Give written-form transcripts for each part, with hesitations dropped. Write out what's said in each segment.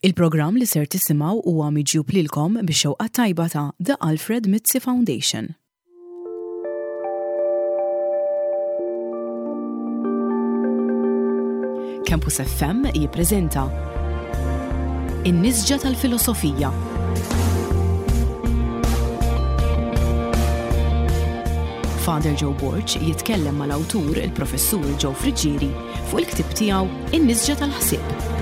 Il-programm li ser tisimgħu huwa miġjub lilkom bix-xewqa tajba ta' The Alfred Mizzi Foundation. Campus FM jippreżenta In-Nisġa tal-Filosofija. Father Joe Borg jitkellem mal-awtur il-Professur Joe Friggieri fuq il-ktieb tiegħu In-Nisġa tal-Ħsieb.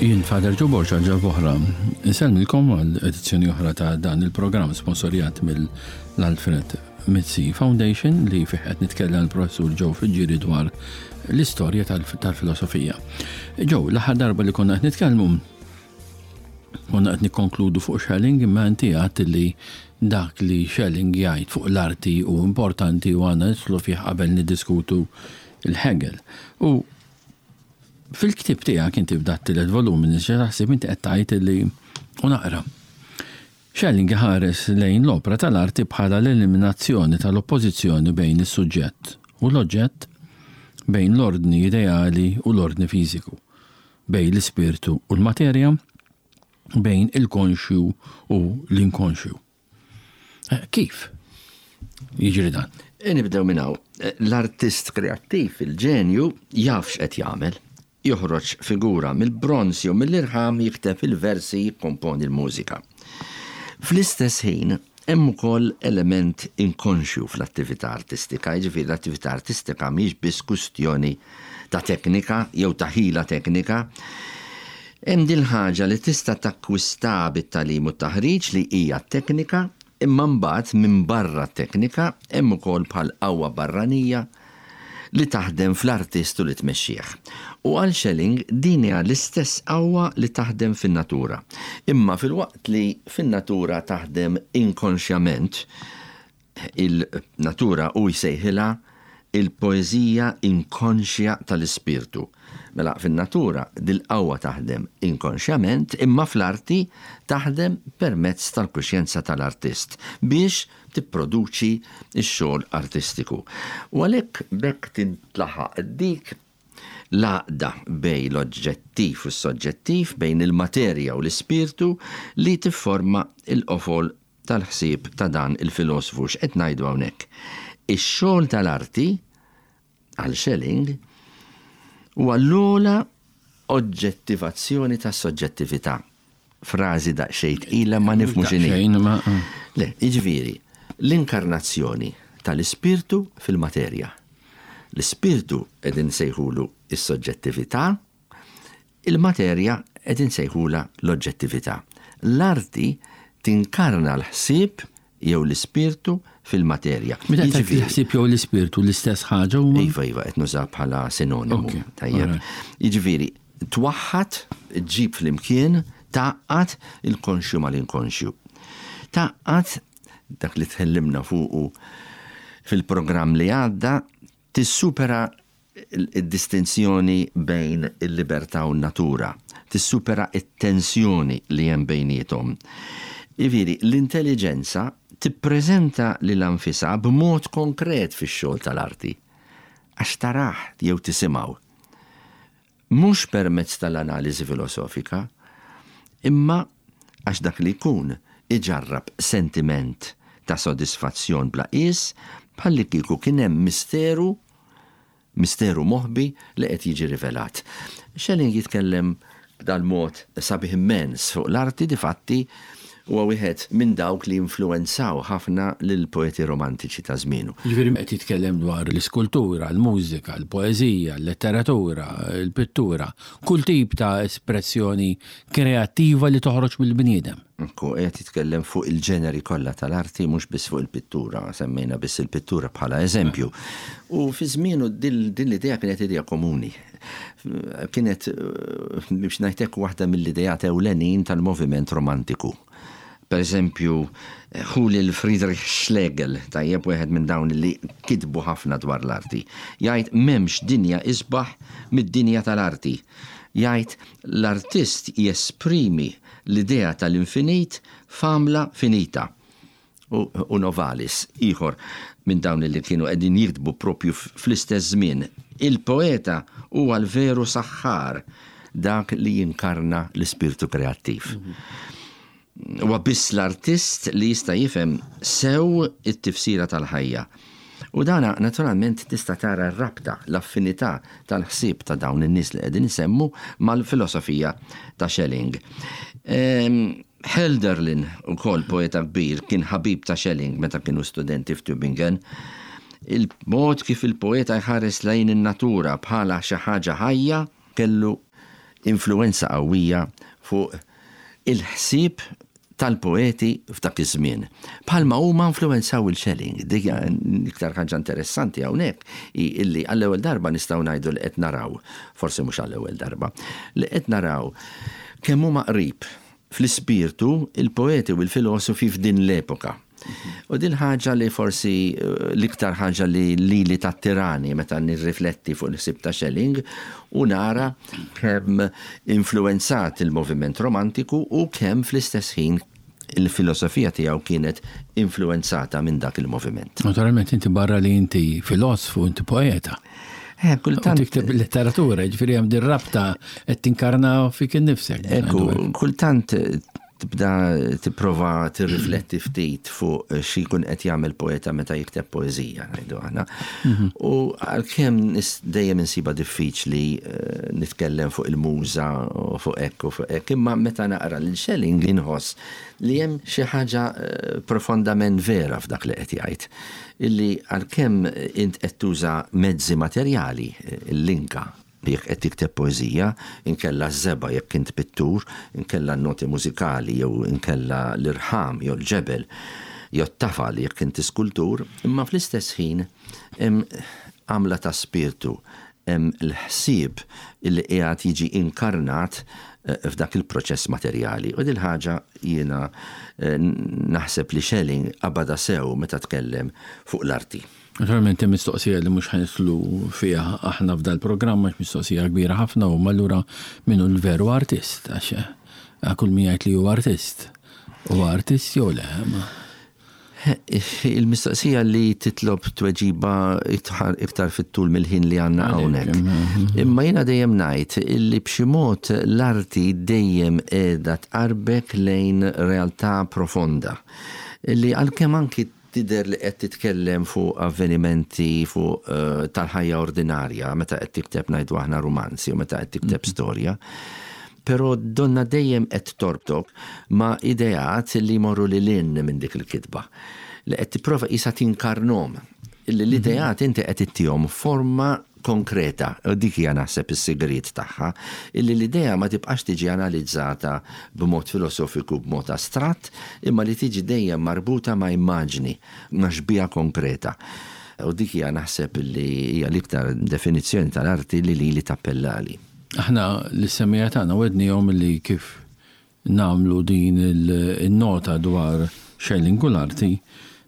Jien Father Joe Borg għal ġarboħra. Insellmilkom għal edizzjoni oħra ta' dan il-programm sponsorjat mill-Alfred Mizzi Foundation li fih qed nitkellem l-professur Joe Friggieri dwar l-istorja tal-filosofija. Joe, l-aħħar darba li konna qed nitkellmu konna qed nikkonkludu fuq Schelling imma inti għedt li dak li Schelling jgħid fuq l-arti hu importanti u għandna nidħlu fih qabel niddiskutu l-Hegel. U fil-ktieb tiegħek inti f'dat tielet volum nisġa taħsib inti qed tgħid li u naqra. Schelling iħares lejn l-opra tal-arti bħala l-eliminazzjoni tal-oppożizzjoni bejn is-suġġett u l-oġġett, bejn l-ordni ideali u l-ordni fiżiku, bejn l-ispirtu u l-materja, bejn il-konxju u l-inkonxju. Eh, kif jiġri dan? E nibdew minn hawn. Eh, l-artist kreattiv, il-ġenju, jaf x'qed jagħmel. Joħroġ figura mill-bronz jew mill-irħam, jikteb il-versi, jikkomponi l-mużika. Fl-istess ħin, hemm ukoll element inkonxju fl-attività artistika, jiġifieri l-attività artistika mhijiex biss kwistjoni ta' teknika jew ta' ħila teknika. Hemm din ħaġa li tista' takkwista bit-tagħlim u t-taħriġ li hija t-teknika, imma mbagħad minbarra t-teknika hemm ukoll bħal qawwa barranija li taħdem fl-artist u li tmexxih. U għal Schelling din hija l-istess qawwa li taħdem fin-natura. Imma filwaqt li fin-natura taħdem inkonxjament, il-natura hu jsejħilha il-poeżija inkonxja tal-ispirtu. Mela fin-natura dil-qawwa taħdem inkonxjament imma fl-arti taħdem permezz tal-kuxjenza tal-artist biex tipproduċi x-xogħol artistiku. U għalhekk b'hekk tintlaħaq dik l-għaqda bejn l-oġġettiv u s-soġġettiv, bejn il-materja u l-ispirtu li tifforma l-qofol tal-ħsieb ta' dan il-filosfu. X'qed ngħidu hawnhekk? Ix-xogħol tal-arti, għal Schelling, huwa l-ogħla oġġettivazzjoni tas-soġġettività. Frażi daqsxejn tqila ma nifhmu x'inhi. Daqsxejn ma. Le, jiġifieri, l-inkarnazzjoni tal-ispirtu fil-materja. L-ispirtu qegħdin nsejħulu s-soġġettività, il-materja qed insejħulha l-oġġettività. L-arti tinkarna l-ħsieb jew l-ispirtu fil-materja. Meta tgħid il-ħsieb jew l-ispirtu l-istess ħaġa huma? Iva, iva, qed nuża bħala sinonimu. Tajjeb. Jiġifieri, twaħħad, ġġib flimkien, tgħaqqad il-konxju mal-inkonxju. Tgħaqqad dak li tkellimna fuqu fil-programm li għadda, tissupera id-distinzjoni bejn il-libertà u n-natura, tissupera t-tensjoni li hemm bejniethom. Jiġifieri, l-intelliġenza tippreżenta lilha nfisha b'mod konkret fix-xogħol tal-arti, għax tarah jew tisimgħu. Mhux permezz tal-analiżi filosofika, imma għax dak li jkun iġarrab sentiment ta' sodisfazzjon bla qies bħallikieku kien hemm misteru Misteru moħbi li qed jiġi rivelat. Schelling jitkellem b'dal-mod sabiħ immens fuq l-arti, difatti huwa wieħed minn dawk li influwenzaw ħafna lill-poeti romantiċi ta' żmienu. Jiġifieri qed jitkellem dwar l-iskultura, l-mużika, l-poeżija, l-letteratura, il-pittura, kull tip ta' espressjoni kreattiva li toħroġ mill-bniedem. Ekku, qiegħed jitkellem fuq il-ġeneri kollha tal-arti, mhux biss fuq il-pittura, semmejna biss il-pittura bħala eżempju. U fi żmienu din l-idea kienet idea komuni. Kienet, biex ngħid hekk, waħda mill-ideat ewlenin tal-moviment romantiku. Per eżempju, ħu lil Friedrich Schlegel, tajjeb wieħed minn dawn li kitbu ħafna dwar l-arti. Jgħid m'hemmx dinja isbaħ mid-dinja tal-arti. Jgħid l-artist jesprimi l-idea tal-infinit f'għamla finita. U Novalis, ieħor minn dawn li kienu qegħdin jiktbu propju fl-istess żmien, il-poeta huwa l-veru saħħar, dak li jinkarna l-ispirtu kreattiv. Huwa biss l-artist li jista' jifhem sew it-tifsira tal-ħajja. U dana naturalment tista' tara r-rabta, l-affinità tal-ħsieb ta' dawn in-nies li qegħdin insemmu mal-filosofija ta' Schelling. Hölderlin, ukoll poeta kbir, kien ħabib ta' Schelling meta kienu studenti f'Tübingen. Il-mod kif il-poeta jħares lejn in-natura bħala xi ħaġa ħajja kellu influwenza qawwija fuq il-ħsieb tal-poeti f'dak iż-żmien. Bħalma huma influwenzaw 'il Schelling. Dik l-iktar ħaġa interessanti hawnhekk hi illi għall-ewwel darba nistgħu ngħidu li qed naraw, forsi mhux għall-ewwel darba, li qed naraw kemm huma qrib fl-ispirtu il-poeti u l-filosofi f'din l-epoka. U din ħaġa li forsi eh, l-iktar ħaġa li lili tattirani meta nirrifletti fuq il-ħsieb ta' Schelling u nara kemm influenzat il-moviment romantiku u kemm fl-istess ħin il-filosofija tiegħu kienet influenzata minn dak il-moviment. Naturalment inti barra li inti filosfu, inti poeta. Eh, kultant. Tikteb letteratura, ġifieri hemm din rabta qed tinkarna fik innifsek. Ekku, kultant tibda tipprova tirrifletti ftit fuq xi jkun qed jagħmel poeta meta jikteb poeżija, ngħidu aħna. Mhm. U għalkemm dejjem insiba diffiċli eh, nitkellem fuq il-muża u fuq hekk u fuq hekk, imma meta naqra lil Schelling inħoss li hemm xi ħaġa eh, profondament vera f'dak li qed jgħid. Illi għalkemm int qed tuża mezzi materjali, il-linka, jekk qed tikteb poeżija, inkella ż-żebgħa jekk int pittur, inkella n-noti mużikali jew inkella l-irħam jew l-ġebel jew t-tafal jekk inti skultur, imma fl-istess ħin hemm għamla ta' spirtu, hemm l-ħsieb illi qiegħed jiġi inkarnat f'dak il-proċess materjali. U dil-ħaġa jiena naħseb li Schelling qabadha sew meta tkellem fuq l-arti. Naturalment hemm mistoqsija li mhux ħa nidħlu fiha aħna f'dal-programm għax mistoqsija kbira ħafna u allura min hu l-veru artist għax kull min jgħid li hu artist huwa artist jew le. Il-mistoqsija li titlob tweġiba iktar fit-tul mill-ħin li għandna hawnhekk. Imma jiena dejjem ngħid illi b'xi mod l-arti dejjem qiegħda tqarbek lejn realtà profonda. Illi għalkemm anki Tidher li qed titkellem fuq avvenimenti fuq tal-ħajja ordinarja meta qed tikteb ngħidu aħna rumanz jew meta qed tikteb storja. Però donna dejjem qed torbtok ma' ideat li jmorru lil hinn minn dik il-kitba. Li qed tipprova qisha tinkarnhom. Illi l-ideat inti qed ittihom forma konkreta, u dik hija naħseb is-sigriet tagħha, illi l-idea ma tibqax tiġi analizzata b'mod filosofiku, b'mod astratt, imma li tiġi dejjem marbuta ma' immaġni, ma' xbieha konkreta. U dik hija naħseb li hija l-iktar definizzjoni tal-arti li lili tappellali. Aħna lis-semmiegħa tagħna wegħdniehom li kif nagħmlu din in-nota dwar Schelling u l-arti,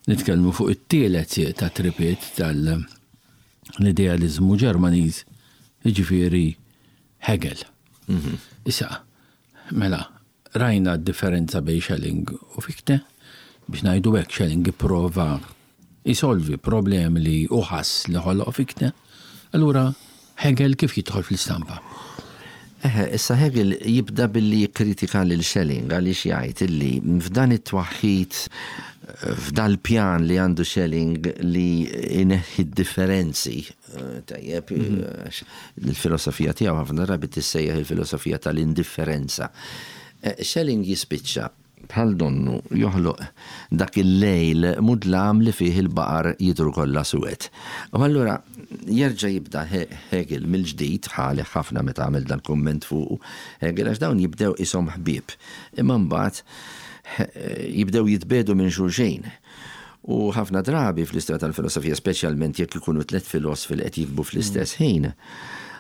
nitkellmu fuq it-tielet sieq tat-tripiet tal- l-idealiżmu Ġermaniż, jiġifieri Hegel. Issa, mela, rajna d-differenza bejn Schelling u Fichte, biex ngħidu hekk Schelling ipprova jsolvi problemi li hu ħass li ħoloq Fichte, allura Hegel kif jidħol fl-istampa? Eħe, issa Hegel jibda billi jikkritika lil Schelling għaliex jgħid illi f'dan it-twaħħid, f'dal-pjan li għandu Schelling li jneħħi d-differenzi, tajjeb, għax il-filosofija tiegħu ħafna drabi tissejjaħ il-filosofija tal-indifferenza. Schelling jispiċċa Bħal donnu joħloq dak il-lejl mudlam li fih il-baqar jidhru kollha suwed. U allura jerġa' jibda Hegel mill-ġdid, ħalih ħafna meta għamel dal-kumment fuqu Hegel għax dawn jibdew qishom ħbieb, imma mbagħad jibdew jitbiegħdu minn xulxin. U ħafna drabi fl-istorja tal-filosofija, speċjalment jekk ikunu tlett filosfi li qed jiktbu fl-istess ħin,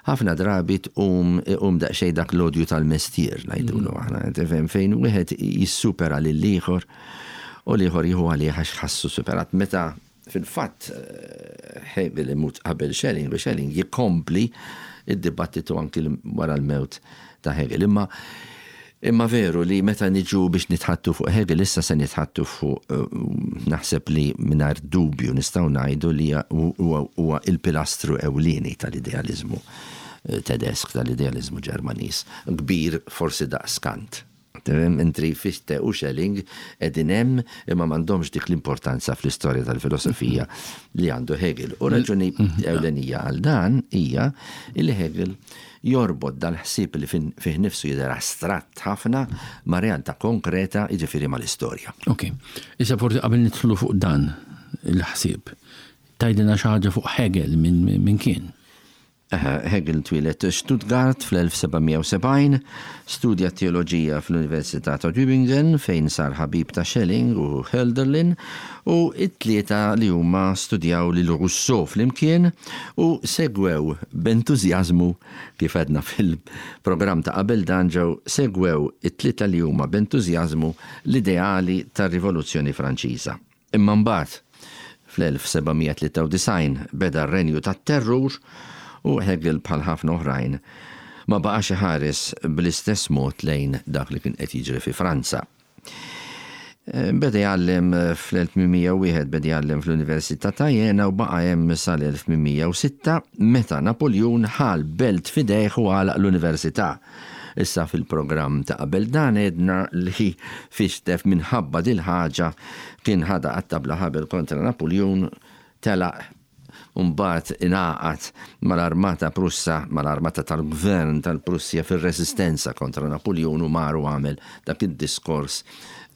ħafna drabi tqum iqum daqsxejn dak l-odju tal-mestier ngħidulu aħna, tifhem fejn wieħed jissupera lill-ieħor u l-ieħor jieħu għalih għax ħassu superat. Meta fil-fatt Hegel imut qabel Schelling u Schelling jikompli id-dibattitu anki wara l-mewt ta' Hegel. Imma imma veru li meta niġu biex nitħattu fuq Hegel issa se nitħattu fuq eh, naħseb li mingħajr dubju nistgħu ngħidu li huwa il-pilastru ewlieni tal-idealiżmu eh, tedesk tal-idealiżmu Ġermaniż, kbir forsi daqs Kant. Mentri Fichte u Schelling qegħdin hemm imma m'għandhomx dik l-importanza fl-istorja tal-filosofija li għandu Hegel. U raġuni ewlenija għal dan hija li Hegel jorbot dal-ħsieb li fih nifsu jidher astratt ħafna ma' realtà konkreta, jiġifieri mal-istorja. Ok. Issa forsi qabel nidħlu fuq dan il-ħsieb, tgħidilna xi ħaġa fuq Hegel minn kien? Hegel twieled Stuttgart fl-1770, studja t-teoloġija fl-Università ta' Tübingen fejn sar ħabib ta' Schelling u Hölderlin u t-tlieta li huma studjaw lil Rousseau flimkien u segwew b'entużjażmu, kif għedna fil-programm ta' qabel dan ġew segwew it-tlieta li huma b'entużjażmu l-ideali tar-Rivoluzzjoni Franċiża. Imma mbagħad, fl-1793 beda r-Renju tat-Terrur u Hegel bħal ħafna oħrajn ma baqax iħares bl-istess mod lejn dak li kien qed jiġri fi Franza. Beda jgħallem fl-1801 beda jgħallem fl-Università ta' Jena u baqa' hemm sal-1806 meta Napuljun ħa l-belt f'idejh u għalaq l-università. Issa fil-programm ta' qabel dan għedna li Fichte minħabba dil-ħaġa kien ħadha qatta' bla ħabel kontra Napuljun, telaq u mbagħad ingħaqad mal-armata Prussa, mal-armata tal-gvern tal-Prussja fir-reżistenza kontra Napuljun u mar u għamel dak id-diskors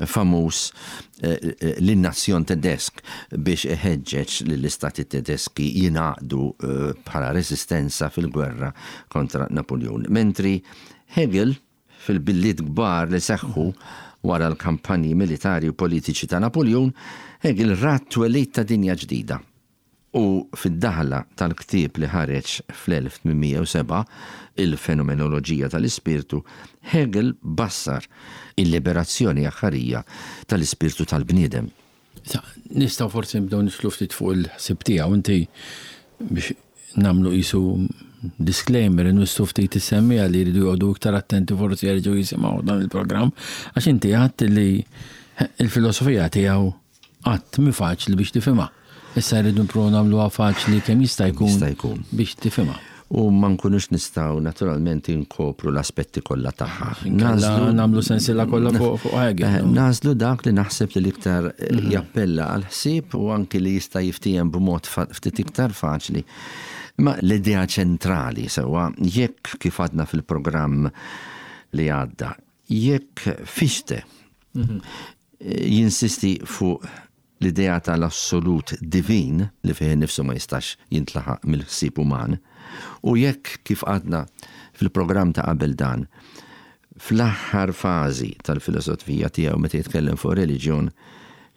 famuż lin-nazzjon Tedesk biex iħeġġeġ lill-istati Tedeski jingħaqdu bħala reżistenza fil-gwerra kontra Napuljun. Mentri Hegel, fil-billiet kbar li seħħu wara l-kampanji militari u politiċi ta' Napuljun, Hegel ra t-twelid ta' dinja ġdida. U fid-daħla tal-ktieb li ħareġ fl-1807, Il-Fenomenoloġija tal-Ispirtu, Hegel bassar il-liberazzjoni aħħarija tal-ispirtu tal-bniedem. Issa, nistgħu forsi nibdew nidħlu ftit fuq il-ħsieb tiegħu. Inti biex nagħmlu qisu disclaimer, inwissu ftit is-semmiegħa li jridu joqogħdu iktar attenti forsi jerġgħu jisimgħu dan il-programm, għax inti għedt li l-filosofija tiegħu Qatt mhi faċli biex tifhimha. Issa rridu nipprovaw nagħmluha faċli kemm jista' jkun Jista' jkun. biex tifhimha. U ma nkunux nistgħu naturalment inkopru l-aspetti kollha tagħha. Inkella nagħmlu sensiela kollha fuq fuq Hegel. Eh, Nagħżlu dak li naħseb li l-iktar eh, jappella għal ħsieb u anki li jista' jiftiehem b'mod fa- ftit iktar faċli. Ma l-idea ċentrali sewwa jekk kif għadna fil-programm li għadda, Jekk Fichte jinsisti fuq l-idea tal-assolut divin li fih innifsu ma jistax jintlaħaq mill-ħsieb uman, u jekk, kif għadna fil-programm ta' qabel dan, fl-aħħar fażi tal-filosofija tiegħu meta jitkellem fuq ir-reliġjon,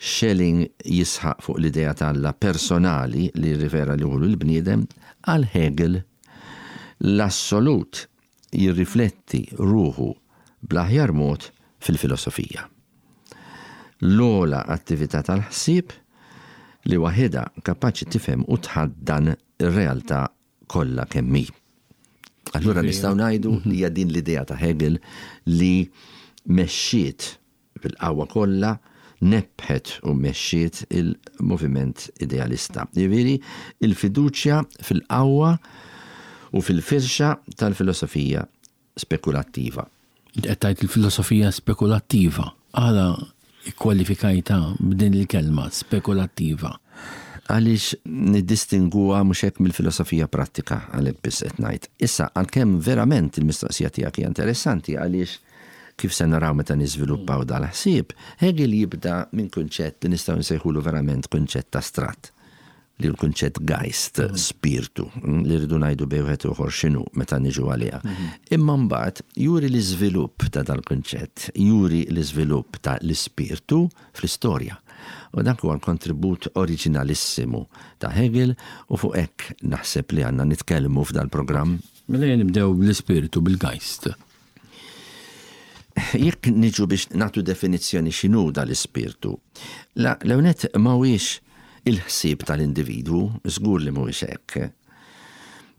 Schelling jisħaq fuq l-idea ta' Alla personali li rrifera lilu l-bniedem, għal Hegel l-assolut jirrifletti ruħu bl-aħjar mod fil-filosofija. L-ogħla attività tal-ħsieb li waħidha kapaċi tifhem u tħaddan ir-realtà kollha kemm hi. Allura nistgħu ngħidu li hija din l-idea ta' Hegel li mexxiet bil-qawwa kollha nebbħet u mexxiet il-moviment idealista. Jiġifieri il-fiduċja fil-qawwa u fil-firxa tal-filosofija spekulattiva. Int qed tgħid il-filosofija spekulattiva. Għala kkwalifikajtha b'din il-kelma, spekulattiva? Għaliex niddistingwuha mhux hekk mill-filosofija prattika, għalhekk biss qed ngħid. Issa, għalkemm verament il-mistoqsija tiegħek hija interessanti għaliex Kif se naraw meta niżviluppaw dal-ħsieb, Hegel jibda minn kunċett li nistgħu nsejħulu verament kunċett astratt, li hu l-kunċett Geist, spirtu, li rridu ngħidu bejn wieħed u ieħor x'inhu meta niġu għaliha. Imma mbagħad juri l-iżvilupp ta' dal-kunċett, juri l-iżvilupp ta' l-ispirtu fl-istorja. U dak huwa l-kontribut oriġinalissimu ta' Hegel u fuq hekk naħseb li għandna nitkellmu f'dal-programm. Mela ejja nibdew bl-ispirtu, bil-Geist. Jekk niġu biex nagħtu definizzjoni x'inhu dal-ispirtu, l-ewwel nett ma huwiex il-ħsieb tal-individwu, żgur li mhuwiex hekk.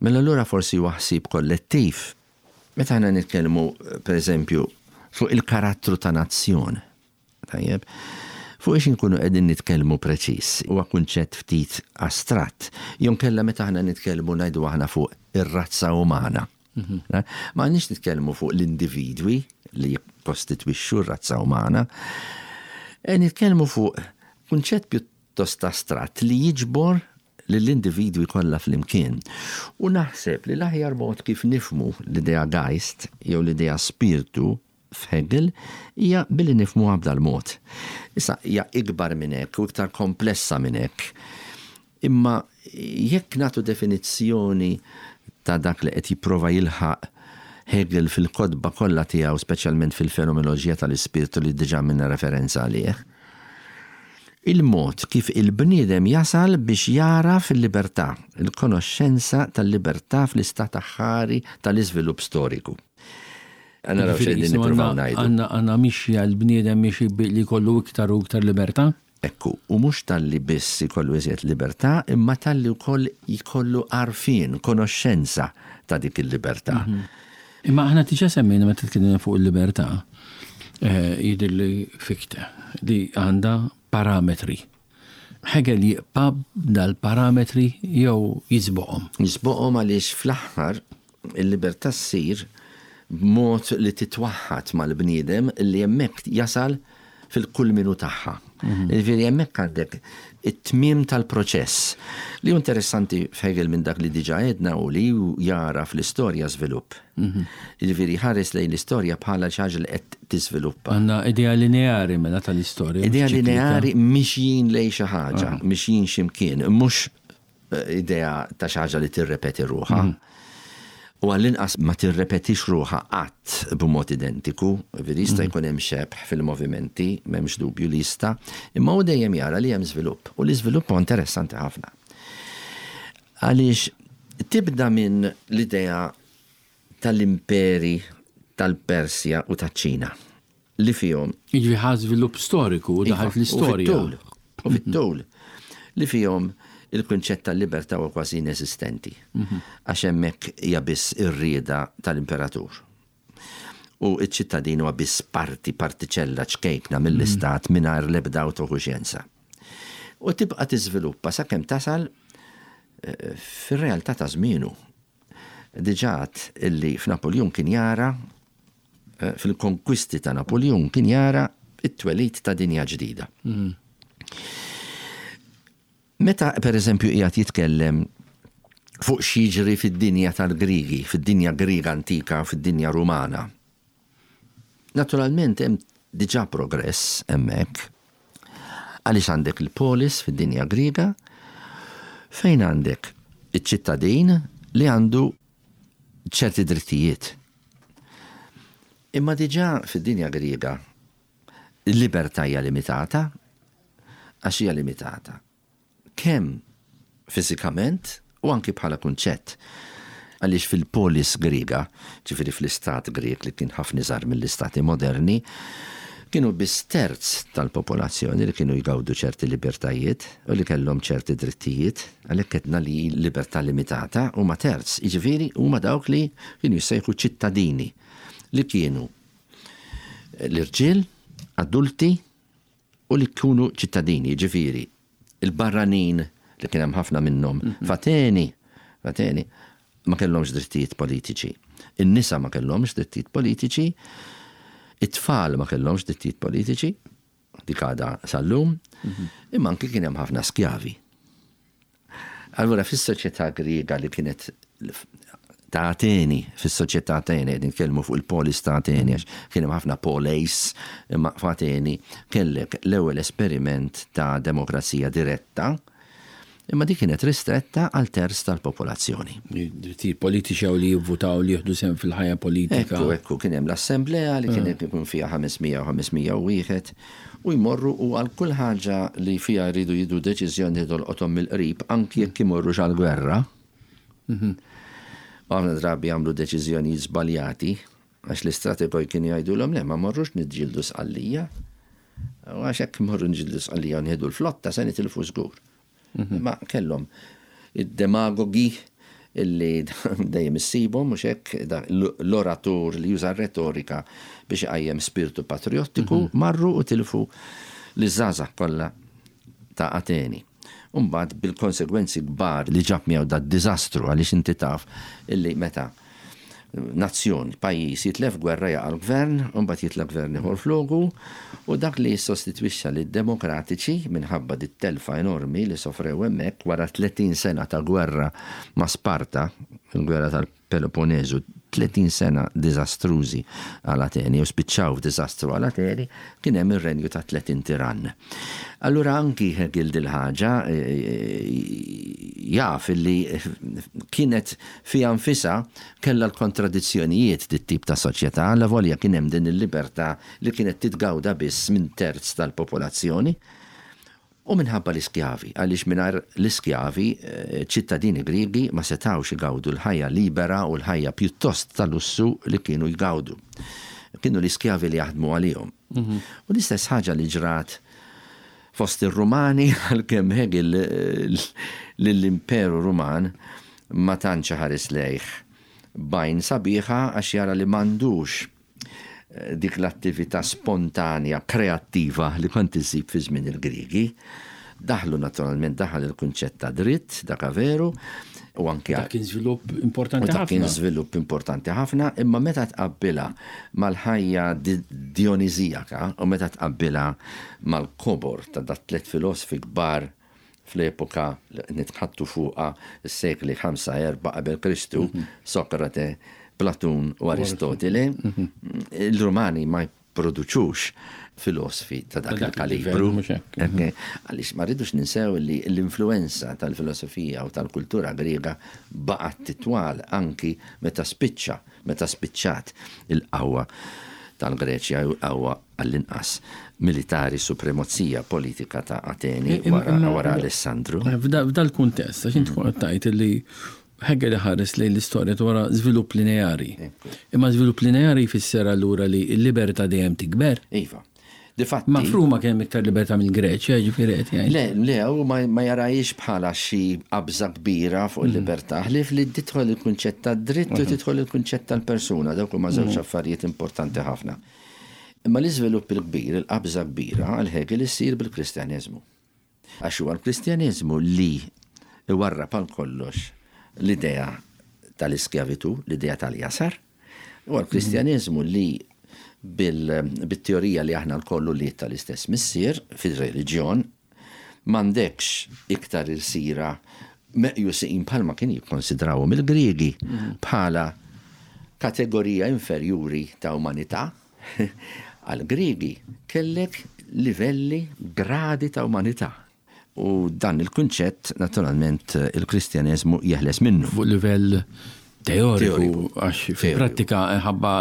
Mela allura forsi huwa ħsieb kollettiv. Meta aħna nitkellmu, pereżempju, fuq il-karattru ta' nazzjon, Tajjeb. Fuq ix inkunu qegħdin nitkellmu preċiż, huwa kunċett ftit astratt. Jew inkella meta aħna nitkellmu ngħidu aħna fuq ir-razza umana. Ma għandniex nitkellmu fuq l-individwi li jikkostitwixxu r-razza umana. E nitkellmu fuq kunċett pjuttost astratt li jiġbor lill-individwi kollha flimkien. U naħseb li l-aħjar mod kif nifhmu l-idea Geist jew l-idea spirtu f'Hegel hija billi nifhmuha b'dal-mod. Issa, hija ikbar minn hekk u iktar komplessa minn hekk. Imma jekk nagħtu definizzjoni ta' dak li qed jipprova jilħaq Hegel fil-kotba kollha tiegħu, speċjalment fil-Fenomenoloġija tal-Ispirtu li diġà għamilna referenza għalih, il-mod kif il-bniedem jasal biex jagħraf il-libertà, il-konoxxenza tal-libertà fl-istat aħħari tal-iżvilupp storiku. Naraw x'qegħdin nippruvaw ngħidu. Għandna mixja l-bniedem miexi li jkollu iktar u iktar libertà? Ekku, u mhux talli biss ikollu iżjed libertà, imma talli wkoll jkollu għarfien, konoxxenza ta' dik il-libertà. Imma aħna diġà semmejna meta tkellimna fuq il-libertà, jidhirli Fichte, li għandha parametri. Hegel jibqa' b'dal-parametri jew jisboqhom? Jisboqhom għaliex fl-aħħar Il-libertà ssir b'mod li titwaħħad mal-bniedem li hemmhekk jasal fil-kulminu tagħha. Jiġifieri hemmhekk għandek it-tmiem tal-proċess. Li hu interessanti f'Hegel minn dak li diġà għedna hu li hu jara fl-istorja żvilupp. Jiġifieri jħares lejn l-istorja bħala xi ħaġa li qed tiżviluppa. Għandna idea lineari mela tal-istorja. Idea lineari mixjin lejn xi ħaġa, mixjin xi mkien, mhux idea ta' xi ħaġa li tirrepeti ruħha. U għall-inqas ma tirrepetix ruħha qatt b'mod identiku, ġifieri jista' jkun hemm xebh fil-movimenti, m'hemmx dubju li jista', imma hu dejjem jara li hemm żvilupp. U l-iżvilupp huwa interessanti ħafna. Għaliex tibda minn l-idea tal-imperi tal-Persja u taċ-Ċina li fihom. Jiġifieri ħa żvilupp storiku u daħal fl-istorja. U fit-tul. Li fihom il-kunċett tal-libertà huwa kważi ineżistenti. Għax hemmhekk hija biss ir-rieda tal-imperatur. U ċ-ċittadin huwa biss parti, partiċella ċkejkna mill-istat mingħajr l-ebda awtokuxjenza. U tibqa' tiżviluppa sakemm tasal fir-realtà ta' żmienu. Diġà għedt illi f'Napuljun kien jara, fil-konkwisti ta' Napuljun kien jara t-twelid ta' dinja ġdida. Meta, per eżempju, qiegħed jitkellem fuq x'jiġri fid-dinja tal-Griegi, fid-dinja Griega antika, fid-dinja Rumana, Naturalment hemm diġà progress hemmhekk. Għaliex għandek il-polis fid-dinja Griega fejn għandek iċ-ċittadin li għandu ċerti drittijiet. Imma diġà fid-dinja Griega il-libertà hija limitata għax hija limitata. kemm fiżikament u anki bħala kunċett. Għaliex fil-polis Griega, ġifieri fl-istat Grieg li kien ħafna iżgħar mill-istati moderni, kienu biss terz tal-popolazzjoni li kienu jgawdu ċerti libertajiet u li kellhom ċerti drittijiet, għalhekk għedna li libertà limitata huma terz, jiġifieri huma dawk li kienu jissejħu ċittadini li kienu l-irġiel adulti u li jkunu ċittadini, jiġifieri l-barranin li kien hemm ħafna minnhom f'Ateni, f'Ateni, ma kellhomx drittijiet politiċi. In-nisa ma kellhomx drittijiet politiċi, it-tfal ma kellhomx drittijiet politiċi, dik għadha sal-lum, imma anki kien hemm ħafna skjavi. Allura fis-soċjetà Griega li kienet ta' Ateni, fis-soċjetà Ateni, qed nitkellmu fuq il-polis ta' Ateni, għax kien hemm ħafna poleis, imma f'Ateni kellek l-ewwel esperiment ta' demokrazija diretta, imma dik kienet ristretta għal terz tal-popolazzjoni. Drittijiet politiċi jew li jivvutaw li jieħdu sehem fil-ħajja politika. Ekku, ekku, kien hemm l-assemblea li kien ikun fiha 500 u 501 U jmorru u għal kull ħaġa li fiha jridu jieħdu deċiżjoni li tolqothom mill-qrib, anki jekk imorrux għall-gwerra, U ħafna drabi jagħmlu deċiżjonijiet żbaljati għax l-istrategoj kienu jgħidulhom le ma morrux niġġieldu Sqallija. U għax hekk morru niġġieldu Sqallija u nieħdu l-flotta se nitilfu żgur. Ma kellhom id-demagogi illi dejjem issibhom mhux hekk l-oratur li juża r-retorika biex iqajjem spirtu patriottiku marru u tilfu liż-żgħażagħ kollha ta' Ateni. U mbagħad bil-konsegwenzi kbar li ġab miegħu dad-diżastru għaliex inti taf illi meta nazzjon, pajjiż jitlef gwerra jaqa' l-gvern, u mbagħad jitla' gvern ieħor floku, u dak li jissostitwixxa lid-Demokratiċi minħabba dit-telfa enormi li sofrew hemmhekk wara 30 sena ta' gwerra ma' Sparta, il-gwerra tal-Peloponnesu, 30 sena diżastrużi għal Ateni u spiċċaw f'diżastru għal Ateni, kien hemm ir-renju ta' 30 tirann. Allura anki Hegel dil-ħaġa jaf illi kienet fiha nfisha kellha l-kontradizzjonijiet dit-tip ta' soċjetà, allavolja kien hemm din il-libertà li kienet titgawda biss minn terz tal-popolazzjoni. U minħabba l-iskjavi, għaliex mingħajr l-iskjavi, ċ-ċittadini Griegi ma setgħux igawdu l-ħajja libera u l-ħajja pjuttost ta' lussu li kienu jgawdu. Kienu l-iskjavi li jaħdmu għalihom. U l-istess ħaġa li ġrat fost ir-Rumani, għalkemm Hegel lill-Imperu Ruman ma tantx iħares lejh b'għajn sabiħa għax jara li m'għandux dik l-attività spontanja, kreattiva li kont issib fi żmien il-Griegi. Daħlu naturalment daħal il-kunċett ta' dritt, dak veru, u anke Dak kien żvilupp importanti ħafna. Dak kien ħafna. żvilupp importanti ħafna, imma meta tqabbilha mal-ħajja Dionisiaka u meta tqabbilha mal-kobor ta' dat-tliet filosfi kbar fl-epoka li qed nitħaddtu fuqha, is-sekli 5, 4 qabel Kristu, Sokrate, Platun u Aristotile, il-Rumani ma jipproduċux filosfi ta' dak il-kalibru. Għaliex ma rridux ninsew li l-influwenza tal-filosofija u tal-kultura Griega baqgħet titwal anki meta spiċċa, meta spiċċat il-qawwa tal-Greċja jew il-qawwa għall-inqas militari supremozija politika ta' Ateni wara Alessandru. F'dal-kuntest, għax int kont tgħid li Hegel iħares lejn l-istorja wara żvilupp lineari. Imma żvilupp lineari jfisser allura li l-libertà dejjem tikber? Iva. Difatti. Ma f'Ruma kien hemm iktar libertà mill-Greċja, jiġifieri qed jgħid. Le, le, hu ma jarahiex bħala xi qabża kbira fuq il-libertà, ħlief li tidħol il-kunċett tad-dritt u tidħol il-kunċett tal-persuna, dawk huma żewġ affarijiet importanti ħafna. Imma l-iżvilupp il-kbir, il-qabża kbira għal Hegel issir bil-Kristjaneżmu. Għax huwa l-Kristjaneżmu li iwarrab għal kollox l-idea tal-iskjavitù, l-idea tal-jasar. Huwa l-Kristjaneżmu li bil-teorija li aħna lkoll ulied tal-istess missier fir-reliġjon, m'għandekx iktar ilsira meqjusin bħalma kien jikkonsidrawhom il-Griegi bħala kategorija inferjuri ta' umanità. Għall-Griegi kellek livelli, gradi ta' umanità. U dan il-kunċett, naturalment, il-Kristjaneżmu jeħles minnu. Fuq livell teoriku, għax fil-prattika ħabba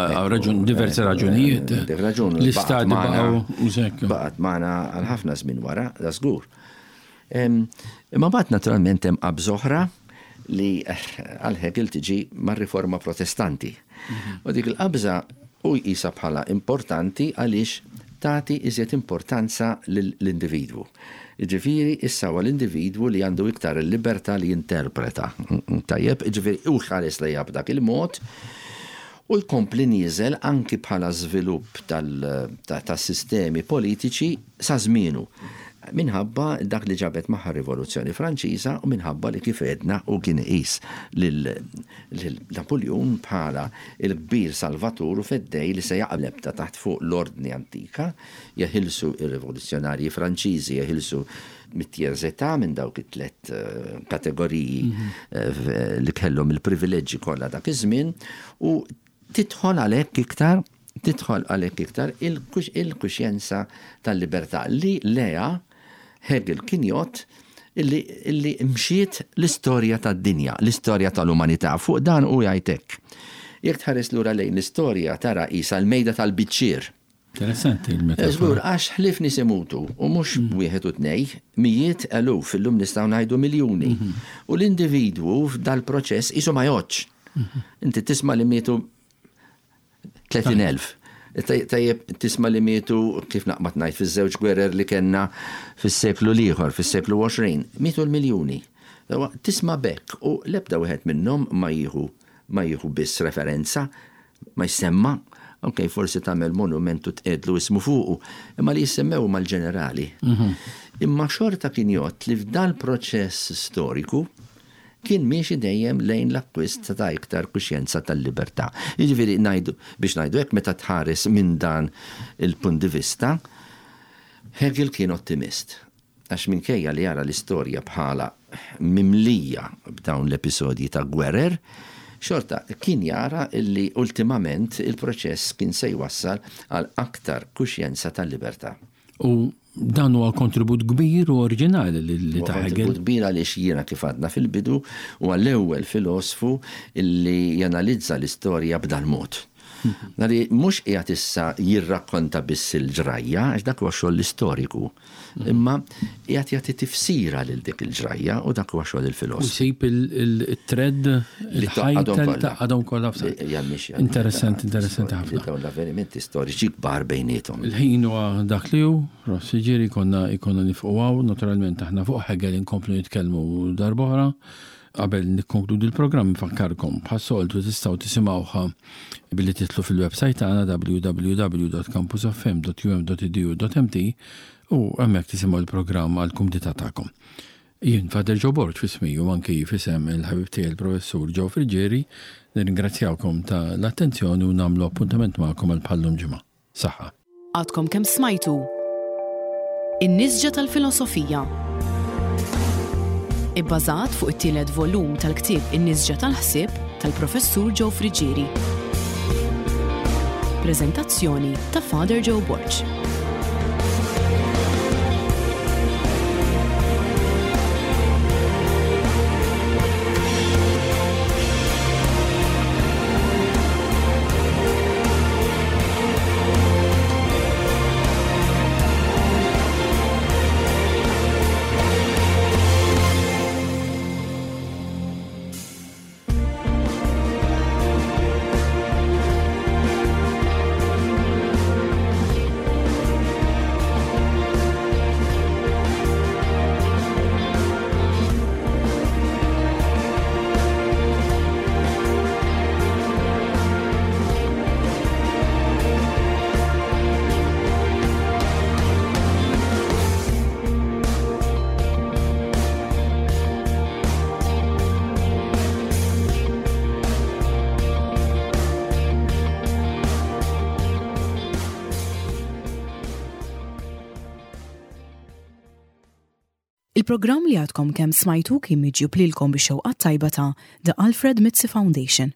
diversi raġunijiet. Raġun. L-istati baqgħu. Baqgħet magħna għal ħafna żmien wara, da żgur. Imma mbagħad naturalment hemm qabża oħra li għal Hegel tiġi mar-Riforma Protestanti. U dik il-qabża hu jqisha bħala importanti għaliex tagħti iżjed importanza lill-individwu. Jiġifieri issa huwa l-individwu li għandu iktar il-libertà li jinterpreta. Tajjeb, jiġifieri hu jħares lejha b'dak il-mod u jkompli nieżel anki bħala żvilupp tas-sistemi politiċi sa żmienu, minħabba dak li ġabet magħha r-Rivoluzzjoni Franċiża u minħabba li kif għedna hu kien iqis lil Napuljun bħala l-kbir salvatur u feddej li se jaqleb ta' taħt fuq l-ordni antika, jeħilsu r-rivoluzzjonarji Franċiżi, jeħilsu mit-tiers état, minn dawk it-tliet kategoriji li kellhom il-privileġġi kollha dak iż-żmien u tidħol għalhekk iktar tidħol għalhekk iktar il-kuxjenza tal-libertà li lejha Hegel kien jgħodd illi, illi mxiet l-istorja tad-dinja, l-istorja tal-umanità. Fuq dan hu jgħid hekk. Jekk tħares lura lejn l-istorja tara qisha l-mejda tal-biċċier. Interessanti il-metafora. Żgur, għax ħlief nies imutu, u mhux wieħed u tnej, mijiet, eluf, illum nistgħu ngħidu miljuni. U l-individwu f'dal-proċess qisu ma jgħoddx. Inti tisma' li mietu 30,000. Tajjeb tisma' li mietu kif naqbad ngħid fiż-żewġ gwerer li kellna fis-seklu l-ieħor, fis-seklu 20, mietu l-miljuni. Tisma' b'hekk u l-ebda wieħed minnhom ma jieħu ma jieħu biss referenza, ma jsemma, ok, forsi tagħmel monument u tqiegħdlu ismu fuqu, imma li jissemmew huma l-ġenerali. Imma xorta kien jgħodd li f'dal-proċess storiku kien miexi dejjem lejn l-akkwist ta' iktar kuxjenza tal-libertà. Jiġifieri ngħidu, biex ngħidu hekk, meta tħares minn dan il-punt di vista, Hegel kien ottimist. Għax minkejja li jara l-istorja bħala mimlija b'dawn l-episodji ta' gwerer, xorta kien jara li ultimament il-proċess kien se jwassal għal aktar kuxjenza tal-libertà. U dan huwa kontribut kbir u oriġinali li ta' Hegel. Kontribut kbir għaliex jiena kif għadna fil-bidu huwa l-ewwel filosfu li janalizza l-istorja b'dal-mod. Nari mhux qiegħed issa jirrakkonta biss il-ġrajja, għax dak huwa xogħol l-istoriku, imma qiegħed jagħti tifsira lil dik il-ġrajja u dak huwa xogħol il-filosfu. U jsib il-thread, il-ħajta li tgħaqqadhom kollha f'saqq. Interessanti, interessanti ħafna. Dawn l-avvenimenti storiċi kbar bejniethom. Il-ħin huwa dak li hu, Ross, jiġifieri konna jkollna nifqu hawn, naturalment aħna fuq Hegel inkomplu nitkellmu darb'oħra. Qabel nikkonkludi l-programm infakkarkom, bħas-soltu tistgħu tisimgħuha billi tidħlu fil-websajt tagħna www.campusfm.um.edu.mt u hemmhekk tisimgħu l-programm għall-kumdità tagħkom. Jien Father Joe Borg f'ismi u anki f'isem il-ħabib tiegħi l-Professur Joe Friggieri nirringrazzjawkom ta' l-attenzjoni u nagħmlu appuntament magħkom għal bħal-lum ġimgħa. Saħħa. Għadkom kemm smajtu In-Nisġa tal-Filosofija. Ibbażat fuq it-tielet volum tal-ktieb In-Nisġa tal-Ħsieb tal-Professur Joe Friggieri. Preżentazzjoni ta' Father Joe Borg. Il-programm li għadkom kemm smajtu kien miġjub lilkom bix-xewqa t-tajba ta' The Alfred Mizzi Foundation.